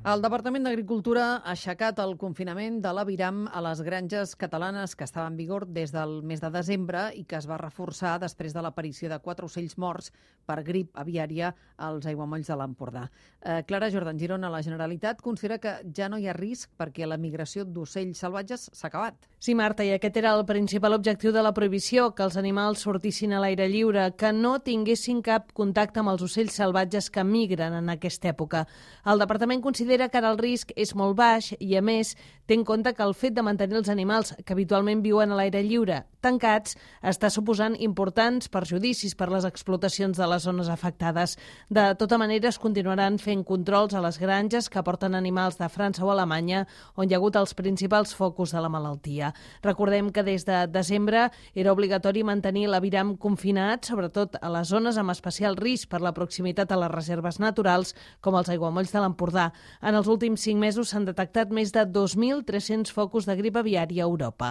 El Departament d'Agricultura ha aixecat el confinament de l'aviram a les granges catalanes que estava en vigor des del mes de desembre i que es va reforçar després de l'aparició de 4 ocells morts per grip aviària als aiguamolls de l'Empordà. Clara Jordan Girona, la Generalitat considera que ja no hi ha risc perquè la migració d'ocells salvatges s'ha acabat. Sí, Marta, i aquest era el principal objectiu de la prohibició, que els animals sortissin a l'aire lliure, que no tinguessin cap contacte amb els ocells salvatges que migren en aquesta època. El Departament considera que ara el risc és molt baix i, a més, té en compte que el fet de mantenir els animals que habitualment viuen a l'aire lliure tancats està suposant importants perjudicis per les explotacions de les zones afectades. De tota manera, es continuaran fent controls a les granges que porten animals de França o Alemanya, on hi ha hagut els principals focus de la malaltia. Recordem que des de desembre era obligatori mantenir l'aviram confinat, sobretot a les zones amb especial risc per la proximitat a les reserves naturals, com els aiguamolls de l'Empordà. En els últims 5 mesos s'han detectat més de 2.300 focus de grip aviària a Europa.